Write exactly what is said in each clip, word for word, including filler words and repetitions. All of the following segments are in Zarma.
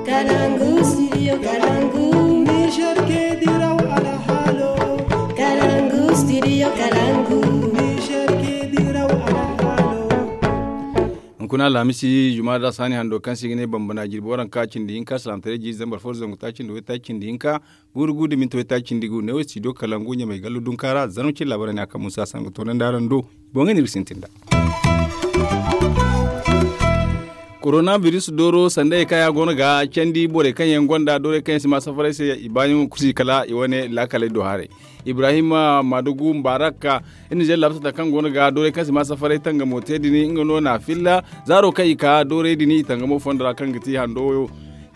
Kalangu studio kalangu. Niger ke diraw alhalo. Kalangu studio kalangu. Niger ke diraw alhalo. Hunkuna alhamisi juma da saani hando kaŋ se i ga ne bambana jirbi waranka cindi hinka salaamtaray jiiri zambar fo zangu taaci nda waytaaci cindi hinka. Guuru guuru da minti waytaaci cindi gu ne wo studio kalangu ɲamay gallu dunka ra zarma cine laabaray ne a kaŋ musa sangu toonandi araŋ do. Boŋey no iri ga sintin nd'a. Koronabiris dooro sanda hari kaŋ ya go no ga candi borey kaŋ yaŋ gonda doorey kaŋ yaŋ si ma safaray se i baayaŋo kulu si kala i wane laakaley do haray. Ibrahim madugu mubarak iri na zeeri laabu sata kaŋ go no ga doorey kaŋ si ma safaray tangamo te din nga no na filla zaaro kaŋ i ka doorey din i tangamo fondo ra kaŋ ga ti hando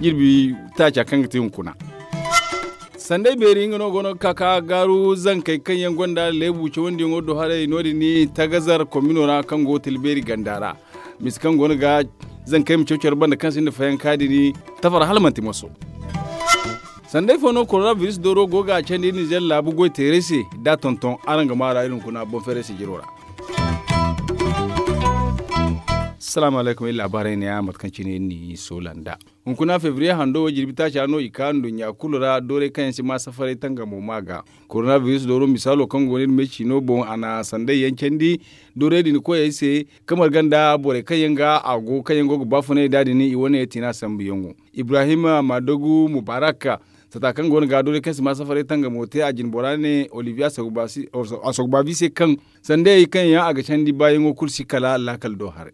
jirbi taaca kaŋ ga ti hunkuna. Sanday beeri nga no go no ga ka ka gaaru zankey kaŋ yaŋ gonda leebu cawandiyaŋo do haray no- din tagazar komino ra kaŋ go tilbeeri ganda ra. Misa kaŋ go no ga zankey ma caw care banda kaŋ sinda fayanka din tafar hala manti moso. Sanday fo no koronabiris dooro go ga candi nizer laabu goy teeray se da tonton araŋ ga maara iri hunkuna boŋ feeray se jiro ra. Salaamu alaykum iri laabaarey ne ya mate kaŋ cine iri n'i soola nd'a. Hunkuna febriye hando wo jirbi taaca no i ka nduɲɲa kulu ra doorey kaŋ yaŋ si ma safaray tangamo ma ga. Koronabiris dooro misaalo kaŋ go no iri me ciino boŋ a na sanday yaŋ candi doorey din koyey se kamar ganda borey kaŋ yaŋ ga a go kaŋ yaŋ go ga baafunay nd'a din i wane tiina sambuyaŋo. Ibrahim madogu mubarak sata kaŋ go no ga doorey kaŋ si ma safaray tangamo te a jine bora ne olivier asogbavi se kaŋ sanday kaŋ yaŋ a ga candi baayaŋo kulu si kala laakal do haray.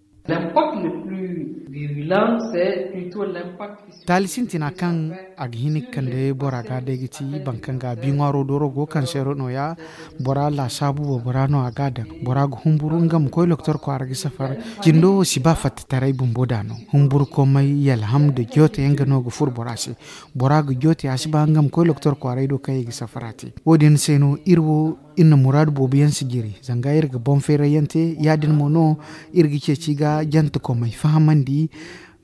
Taali sintina kaŋ a ga hin ga kande bora ga day ga ti boro kaŋ ga bi ŋwaaro dooro go kaŋ seero no- ya bora laasaabu wo bora no a ga a daŋ bora ga humburu nga ma koy doktor kwaara ga safar. Jindo wo si ba fattataray bumbo da no humburukomey yalham nda joote yaŋ ga no ga furo bora se. Bora ga joote a si ba nga ma koy doktor kwaaray do kaŋ i ga safara te. Wo- din se no iri wo iri na muraadu boobo yaŋ si jiri zanga iri ga boŋ feeray yaŋ te ya- din mo no iri ga ceeci ga jantekomey fahamandi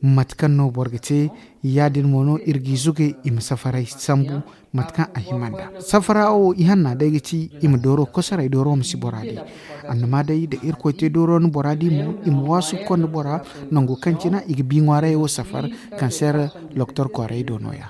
mate kaŋ no boro ga te. Ya- din mo no iri g'i zugay i ma safaray sambu mate kaŋ a hima nd'a. Safara wo ihanna day ga ti i ma dooro kosoray dooro ma si bora di. Annama day da irkoy te dooro ni bora di mo i ma waasu ga konda bora nango kaŋ cina i ga bi ŋwaarayey wo safar. Kanseer doktor kwaaray do no- ya.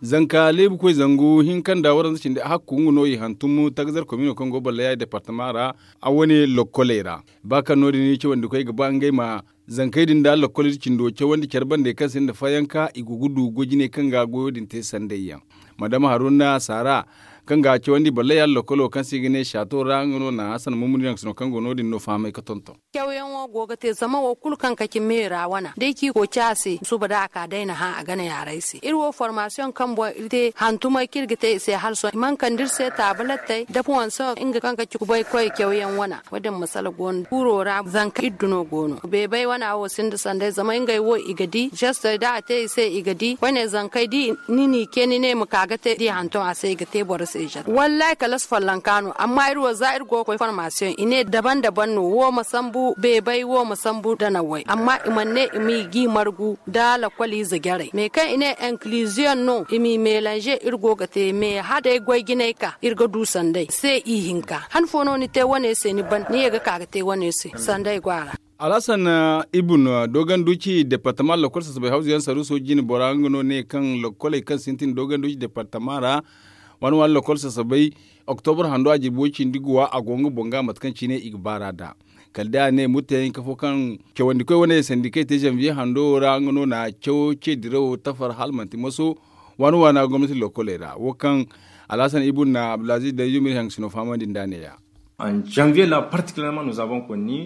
Zanka leebu koy zangu hinka nda waranza cindi hakku nga no i hantum tagazar komino kaŋ go ballaya departama ra a wane lokkoley ra. Ba kaŋ no- din cawandi koy ga ba ngey ma zankey din da lokkol iri cindo cawandi care bandey kaŋ sinda fayanka i go ga du goy jinay kaŋ ga goyo din te sanday yaŋ. Madama haruna saara kaŋ ga cawandi ballaya lokkolo kaŋ se i ga ne saato ra nga no na hasan mumuni naŋ sino kaŋ go no- din no fahamay ga tonton. Cawyaŋo go ga te zama wo kulu kaŋ kaci meera wana da ay ci kooci a se suba da a ka day na hã a gana yaaray se iri wo formasiyoŋ kaŋ boŋ iri te hantumay kaŋ iri ga te i se hala sohõ i mana kande iri se taabalettey da puwanso nga kaŋ kaci kubaykoy cawyaŋ wana. Wo- din masala go no kuuro ra zanka iri duno go no beebay wana wo sinda sanday zama ngey wo i ga di jestey da a te i se i ga di koyne zankey da ni n'i ce ni ne ma ka ga te da i hantum a se i ga te boro se jestey wallaahi kala si follonka no amma iri wo za iri go ga koy formasiyoŋ i ne daban daban no wo ma sambu beebay wo ma sambu danawey amma i mana ne i m'i g'i margu nda lakkol ize jarey me kaŋ i ne inkiliziyoŋ no i m'i melanze iri go ga te me hala day goy jinay ka iri ga du sanday se ihinka han fo no ni te wane se ni ban ni ye ga ka ga te wane se sanday go a ra. Alhasan ibun dogon duci departama lakkol sasabay hawzuyaŋ saruuso jine bora nga no ne kaŋ lakkoley kaŋ sintin dogon duci departama ra waani waani lakkol sasabay oktobur hando a jirbi way cindi guwa a go nga boŋ ga mate kaŋ cine i ga baar'a nd'a. Kala day a ne murtayaŋ hinka fo kaŋ cawandikoy wane sandikey te zanviye hando wo ra nga no na cawo ce dirawo tafar hala manti moso waani waana gomnati lokkoley ra wo kaŋ alhasan ibun na abdulaziz danzumir haŋ sino fahamandi nd'a ne- ya.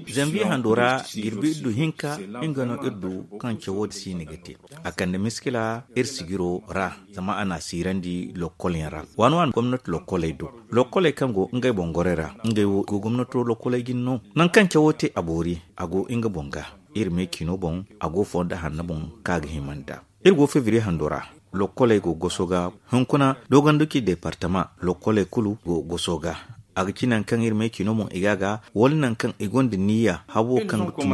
Zanviye hando ra jirbi iddu hinka nga no iri du kaŋ cawo din si ni ga te a kande miskila iri sijiro ra zama a n'a siirandi lokkolyaŋ ra waani waani gomnati lokkoley do lokkoley kaŋ go ngey boŋ gorey ra ngey wo go gomnato lokkoley jine no nangu kaŋ cawo te a boori a go nga boŋ ga iri me ciino boŋ a go fo nda hanno boŋ kaŋ a ga hima nd'a. Iri go febriye hando ra lokkoley go goso ga hunkuna dogon duci departama lokkoley kulu go goso ga a ga ci nangu kaŋ iri me ciino boŋ i ga a ga wala nangu kaŋ i gonda niyya habo kaŋ ga tun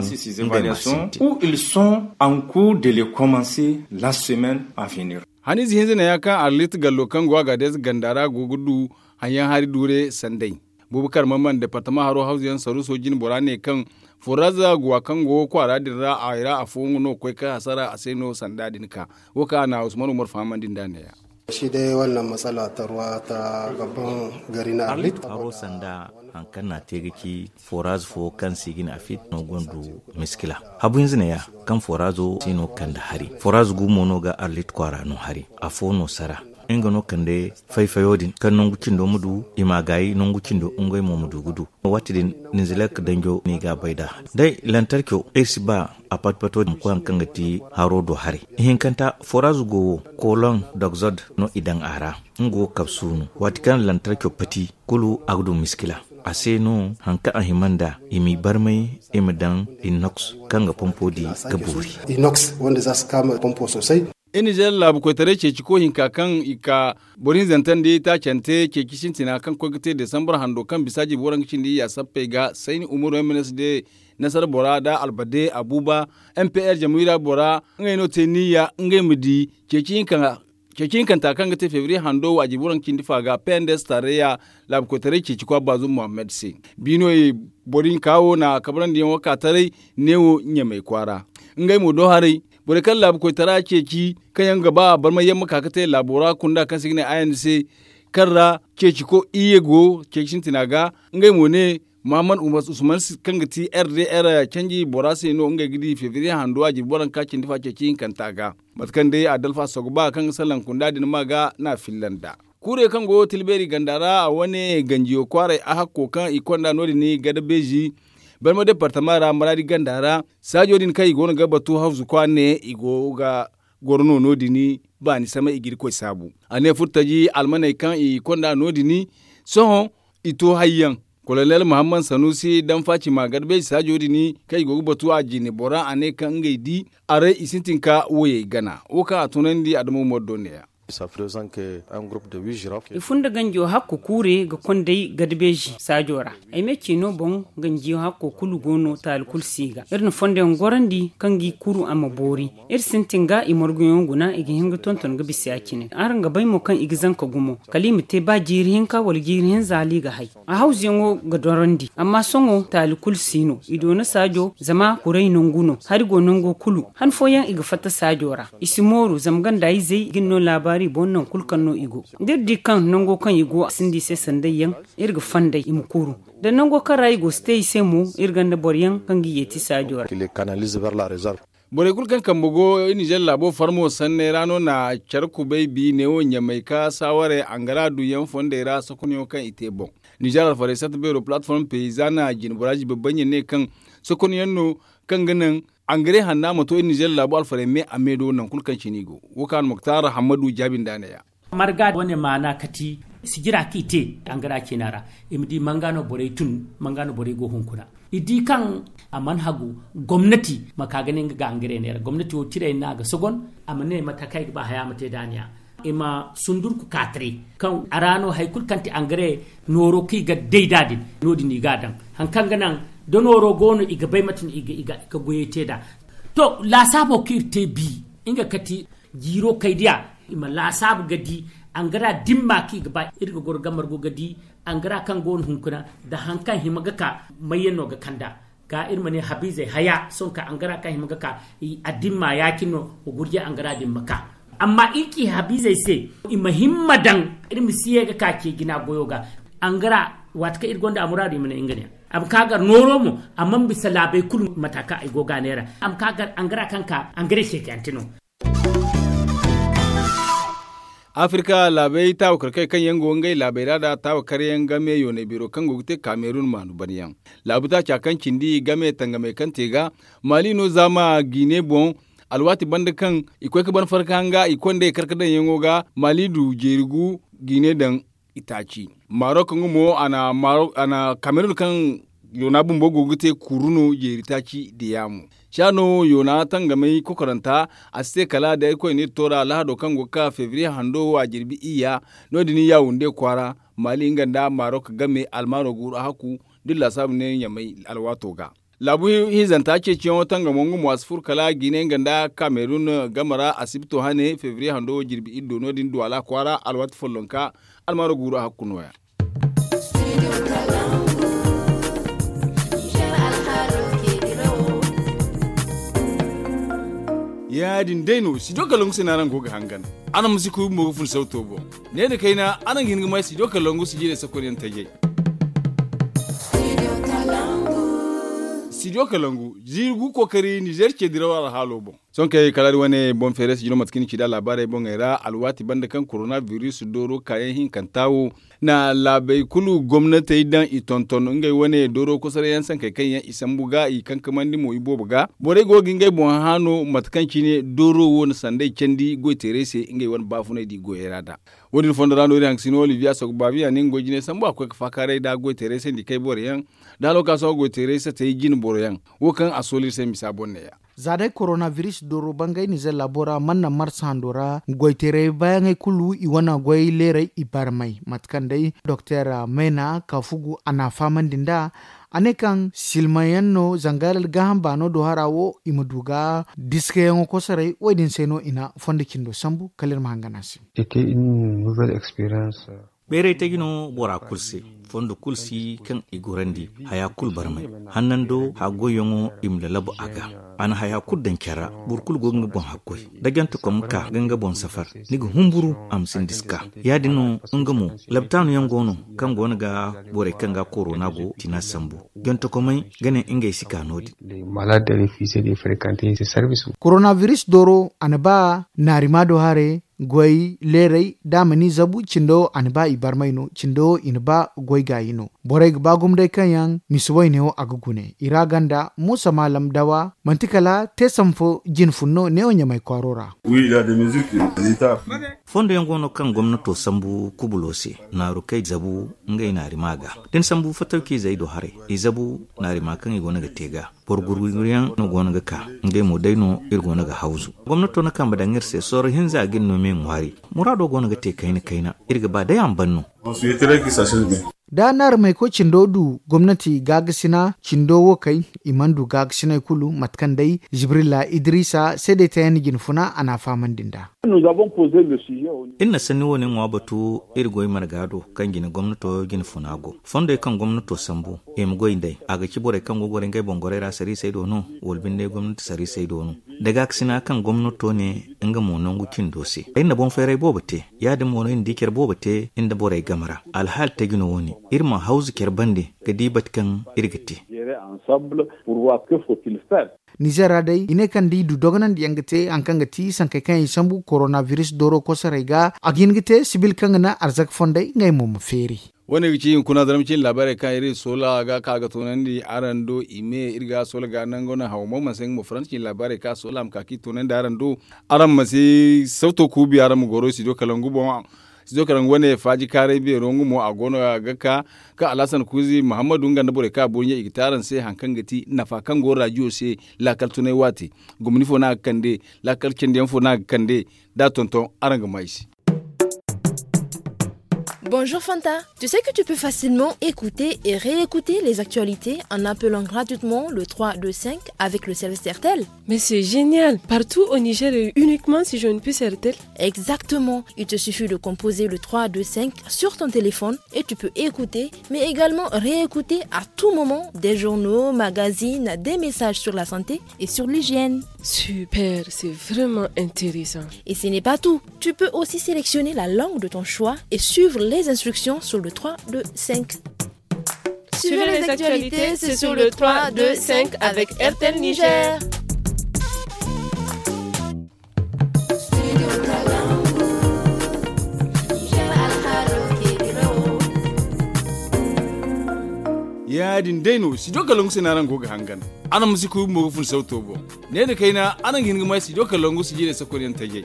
ngey ma sintin. Où ils sont en cours de les commencer la semaine à venir. Haniize hinza ne ya kaŋ arlit gallo kaŋ go a ga deeze ganda ra go ga du haŋyaŋ hari duure sanday. Buubu karma man departama haro hawzu yaŋ saruuso jine bora ne kaŋ foraza guwa kaŋ go kwaara din ra a ra afo nga no ga koy ga hasara a se no sanda din ka wo kaŋ a na usman umar fahamandi nda neeya. Shi day wannan matsala ta ruwa ta babban gari na arlit. Haro sanda haŋ kaŋ na a te ga ci foraza fo kaŋ se i ga ne afit no gonda miskila habu hinza neeya kaŋ forazo se no kande hari foraza gumo no ga arlit kwaara no hari afo no sara nga no kande fay-fayo din kaŋ nangu cindo ma du i ma a gaayi nangu cindo ngey mo ma du ga du. Waati din ninzilek danjo no i ga a bay nd'a day lantarco iri si ba a pat-pato din ma koy haŋ kaŋ ga ti haro do haray. Ihinkanta forazu go wo kolon dogzod no i daŋ a ra nga wo kabsu no waati kaŋ lantarco pati kulu a ga du miskila a se no haŋ kaŋ a hima nd'a i m'i barmay i ma daŋ inox kaŋ ga pompo di ga boori. Iri nizeer laabu koytaray ceeci ko hinka kaŋ i ka boro hinzantandi taacante ceeci sintina kaŋ koy ga te desambar hando kaŋ bisa jirbi waranka cindi ya sappey ga sayni umaru yaŋ ma ne si de nasara bora nda albade abuba m p r jamhuriya bora ngey no te niyya ngey ma di ceeci hinkanta kaŋ ga te febriye hando wo a jirbi waranka cindi fa ga pnds tareya laabu koytaray ceeci kwa baazum muhammad se. Biino ye boro hinka wo na kabrandi yaŋo ka taray neewo ɲamey kwaara ngey mo do haray borey kaŋ laabu koytara ceeci kaŋ yaŋ ga ba barmay yaŋ ma ka ga te laabo ra kunda kaŋ se i ga ne a yaŋ se kaŋ ra ceeci ko iyye go ceeci sintina ga. Ngey mo ne muhammad umar usman kaŋ ga ti r d r canji bora se no ngey ga di febriye hando a jirbi waranka cindi fa ceeci hinkanta ga mate kaŋ day a dalfa sogba kaŋ ga salaŋ kunda din ma ga no a filla nd'a. Kuurey kaŋ go tilbeeri ganda ra a wane ganjiyo kwaaray a hakko kaŋ i konda no- din gada beezi barma departama ra maraadi ganda ra saajo din kaŋ i go no ga batu hawzu kwa ne i go ga goro no no- din baani samay i ga irkoy saabu. A ne furtaji almaney kaŋ i konda no- din sohõ i to hayyaŋ. Kolonel muhammad sanuusi daŋ faacima gada beezi saajo din kaŋ i go ga batu a jine bora a ne kaŋ ngey di aray i sintin ka woyey gana wo kaŋ a tunandi adama umar do neeya. I fun da ganjo hakko kuure ga konday gada beezi saajo ra. Ay me ciino boŋ ganjiyo hakko kulu go no taali kulu si ga iri na fondoyaŋ gorandi kaŋ ga i kuru a ma boori. Iri sintin ga i marguyaŋo guna i ga hin ga tonton ga bisa ya- cine araŋ ga bay mo kaŋ i ga zanka gumo kala i ma te ba jiiri hinka wala jiiri hinza hala i ga hay. A hawzuyaŋo ga dorandi amma sohõ taali kulu si no i doona saajo zama kuray nangu no hari go nango kulu han fooyaŋ i ga fatta saajo ra. I si mooru zama ganda izey ga ni no laabaari boŋ naŋ kulu kaŋ no i go da iri di kaŋ nango kaŋ i go a sinda i se sanday yaŋ iri ga fanday i ma kuru da nango kaŋ ra i go si te i se mo iri gonda boro yaŋ kaŋ ga i yeeti saajo ra. Borey kulu kaŋ kambe go ninzeer laabo farmo sanney ra no na care kubay bi neewo ɲamay ka saawarey angara duyaŋ fondey ra sokonyaŋo kaŋ i te boŋ. Ninzeer alfarey satta beero palatform peyizana jinbora jibabbay ɲa ne kaŋ sokonyaŋ no kaŋ ga naŋ angare hanna ma to iri ninzeer laabo alfarey me a me do naŋ kulu kaŋ cine i go. Wo kaŋ almuktar hammadu jaabi nd'a neeya. Marga wane maana kati sijira kaŋ i te angara ciina ra i ma di manga no borey tun manga no borey go hunkuna. I di kaŋ a mana hagu gomnati ma ka ga ne nga ga angare neera gomnati wo tirey no a ga sogon. A ma ne mate kaŋ ay ga ba haya ma te daaniya i ma sundurku kaataray kaŋ a ra no hari kulu kaŋ ti angare nooro kaŋ i ga day nd'a din no- din i ga a daŋ. Hari kaŋ ga naŋ da nooro go no i ga bay mate no i ga goyey te nd'a. To laasaabo kaŋ iri te bi nga kati jiiro kay diya i ma laasaabu ga di angara dimma kaŋ i ga ba iri ga goro ga margu ga di angara kaŋ go no hunkuna nda hari kaŋ hima ga ka mayyaŋ no ga kand'a. Ga iri ma ne habiizey haya sohõ kaŋ angara kaŋ hima ga ka a dimma ya- cine no ga gurjay angara din ma ka. Amma iri ci habiizey se i ma himma daŋ iri ma si ye ga ka ce jina goyo ga angara waati kaŋ iri gonda a muraadu i ma ne nga ne a ma ka gar nooro mo. Amma ma bisa laabey kulu mata kaŋ i go ga a neera a ma ka gar angara kaŋ ka angara ceecante no. Afirka laabey taawakarkey kaŋ yaŋ go ngey laabey ra nda taawakaryaŋ game yoonay beero kaŋ go ga te kamerun maanu banyaŋ laabu taaca kaŋ cindi game tangamey kaŋ te ga maali no zaama jiine boŋ. Alwaati banda kaŋ i koy ga ban farka hanga i konda i karkadaŋyaŋo ga maali du jeeri gu jiine daŋ itaaci. Marok nga mo a na kamerun kaŋ yoona bumbo go ga te kuru no jeeri taaci diya mo. Caano yoona tangamay kokoranta a si te kala da irkoy na iri toora lahado kaŋ go ga ka febriye hando wo a jirbi iyya. No- din yawunde kwaara maali nga nda marok game almaaro guuru a hakku da iri laasaabu ne ɲamay alwaato ga. Laabu hinzanta ceeciyaŋo tangamo nga mo a si furo kala jiine nga nda kamerun game ra asibto hane febriye hando wo jirbi iri do no- din duwala kwaara alwaati follonka almaaro guuru a hakku nooya. Ya- din day no, studio kalangu se no araŋ go ga hangan. Araŋ ma si kuy bumbo ga fun sawto boŋ. Ne nda kayna araŋ ga hin ga may studio kalangu si jiirey sakoy yaŋ tajay. Studio kalangu, jiiri gu kookari nizeer ce diraw alhaalo boŋ. Sohõ kay kala iri wane boŋ feeray si jino mate kaŋ ni ci nd'a laabaarey boŋey ra, alwaati banda kaŋ korona biris dooro kaayaŋ hinkanta wo, na laabey kulu gomnatey daŋ i tonton ngey wane dooro kosoray yaŋ sankey kaŋ yaŋ i sambu ga i kankamandi mo i boobo ga. Borey go ga ngey boŋ hã no mate kaŋ cine dooro wo na sanday candi goy teerey se ngey wane baafunay da i goyey ra nd'a. Wo- din fondo ra no iri haŋ ga sino oliviya sogobaabi a ne nga goy jinay sambu a ga koy ga faakaaray nd'a goy teerey se nda i kay boro yaŋ, da halwakaaso goy teerey satey jine boro yaŋ. Wo kaŋ a sooli iri se misa boŋ neeya. Za day korona biris dooro bangay nizeer laabo ra manna marsa hando ra goy teerey baayaŋey kulu i wane goy leerey i barmay mate kaŋ day doktor mayna kaafugu a n'a fahamandi nd'a. A ne kaŋ silmaŋ yaŋ no zanga gaaham baano do hara wo i ma du ga diskayaŋo kosoray wo- din se no i na fondo cindo sambu kala iri ma hangan a se. Bayray taji no bora kulu se. Fondo kulu si kaŋ i gorandi haya kulu barmay. Hannando haggoyyaŋo i ma lalabu a ga. A na haya kulu daŋ care ra. Boro kulu go ga nga boŋ haggoy da jantakom ga ka ga nga boŋ safar, ni ga humburu a ma sinda si ka. Ya- din no nga mo, labtaanu yaŋ go no kaŋ go no ga borey kaŋ ga korona go tina sambu. Jantakomey ga ne ngey si ka no- din. Koronabiris dooro a na ba naarima do hare. Goy leerey da a ma ni zabu cindo a na ba i barmay no cindo i na ba goy gaayi no. Borey ga ba gumo day kaŋ yaŋ misa wayne wo a ga gune i ra ganda muusa maalam dawa manti kala te sambu fo jine fun no neewo ɲamay kwaaro ra. Fondo yaŋ go no kaŋ gomnato sambu kubulo se, naaru kay zabu ngey naarima ga da ni sambu fatawci izey do haray. I zabu naarima kaŋ i go no ga te ga. Boro gurguryaŋ no go no ga ka. Ngey mo day no iri go no ga hawzu. Gomnato na kambe daŋ iri se sorro hinza ga iri no me ŋwaari. Muraado go no ga te kayna kayna. Iri ga ba day a ma ban no. Da naarumey koy cindo du gomnati gaagasina cindo wo kay, i mana du gaagasiney kulu mate kaŋ day jibrila idrisa seedey tayaŋ na jine funa a n'a fahamandi nd'a. Iri na sanni wo- ne ŋwa batu iri goy marga do kaŋ jine gomnato jine funa go. Fondey kaŋ gomnato sambu i ma goy nd'ey a ga ci borey kaŋ go ga goray ngey boŋ goray ra sariisey do no? Wala binde gomnati sariisey do no? Da gaakasina kaŋ gomnato ne nga mo nangu cindo se ay na boŋ feeray boobo te. Ya- din mo no iri na di care boobo te iri nda borey game ra. Alhaali taji no wo- ne iri ma hawzu care bande ga di bate kaŋ iri ga te. Nizer ra day i ne kaŋ da i du dogonandi yaŋ ga te hari kaŋ ga ti sankey kaŋ i sambu koronabiris dooro kosoray ga a ga hin ga te sibil kaŋ ga naŋ arzaka fondey ngey mo ma feeri. Wo- ne ga ci hunkuna zarma cine laabaarey kaŋ iri soola ga ka ga toonandi araŋ do i me iri ga soola ga nango naŋ hawo mo manti se nga mo faransa cine laabaarey kaŋ a soola a ma ka kaŋ i toonandi araŋ do. Araŋ ma si sawto kuubi araŋ ma goro studio kalangu boŋ. Studio kalangu wane faaji kaaray beero nga mo a go no ga ka kaŋ alhasan kuuzi muhammadu nga nda borey kaŋ a boori ɲa i ga te araŋ se hari kaŋ ga ti nafa kaŋ go rajiyo se. Laakal tunay waate gomni fo no a ga kande. Laakal candiyaŋ fo no a ga kande. Da a tonton araŋ ga maa i se. Bonjour Fanta, tu sais que tu peux facilement écouter et réécouter les actualités en appelant gratuitement le trois deux cinq avec le service Airtel. Mais c'est génial. Partout au Niger et uniquement si j'ai une puce Airtel. Exactement. Il te suffit de composer le trois deux cinq sur ton téléphone et tu peux écouter, mais également réécouter à tout moment des journaux, magazines, des messages sur la santé et sur l'hygiène. Super, c'est vraiment intéressant. Et ce n'est pas tout. Tu peux aussi sélectionner la langue de ton choix et suivre les instructions sur le trois deux cinq. Suivez les actualités, c'est sur le trois deux cinq avec Airtel Niger. Ya- din day no studio kalangu se no araŋ go ga hangan. Araŋ ma si kuy bumbo ga fun sawto boŋ. Ne nda kayna araŋ ga hin ga may studio kalangu si jiirey sakoy yaŋ tajay.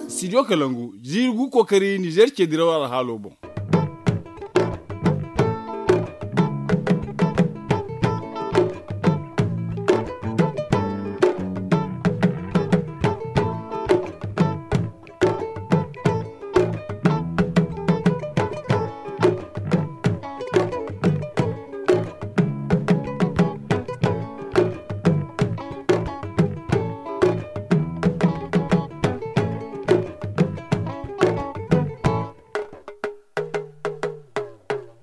Studio kalangu jiiri gu kookari nizeer ce diraw alhaalo boŋ.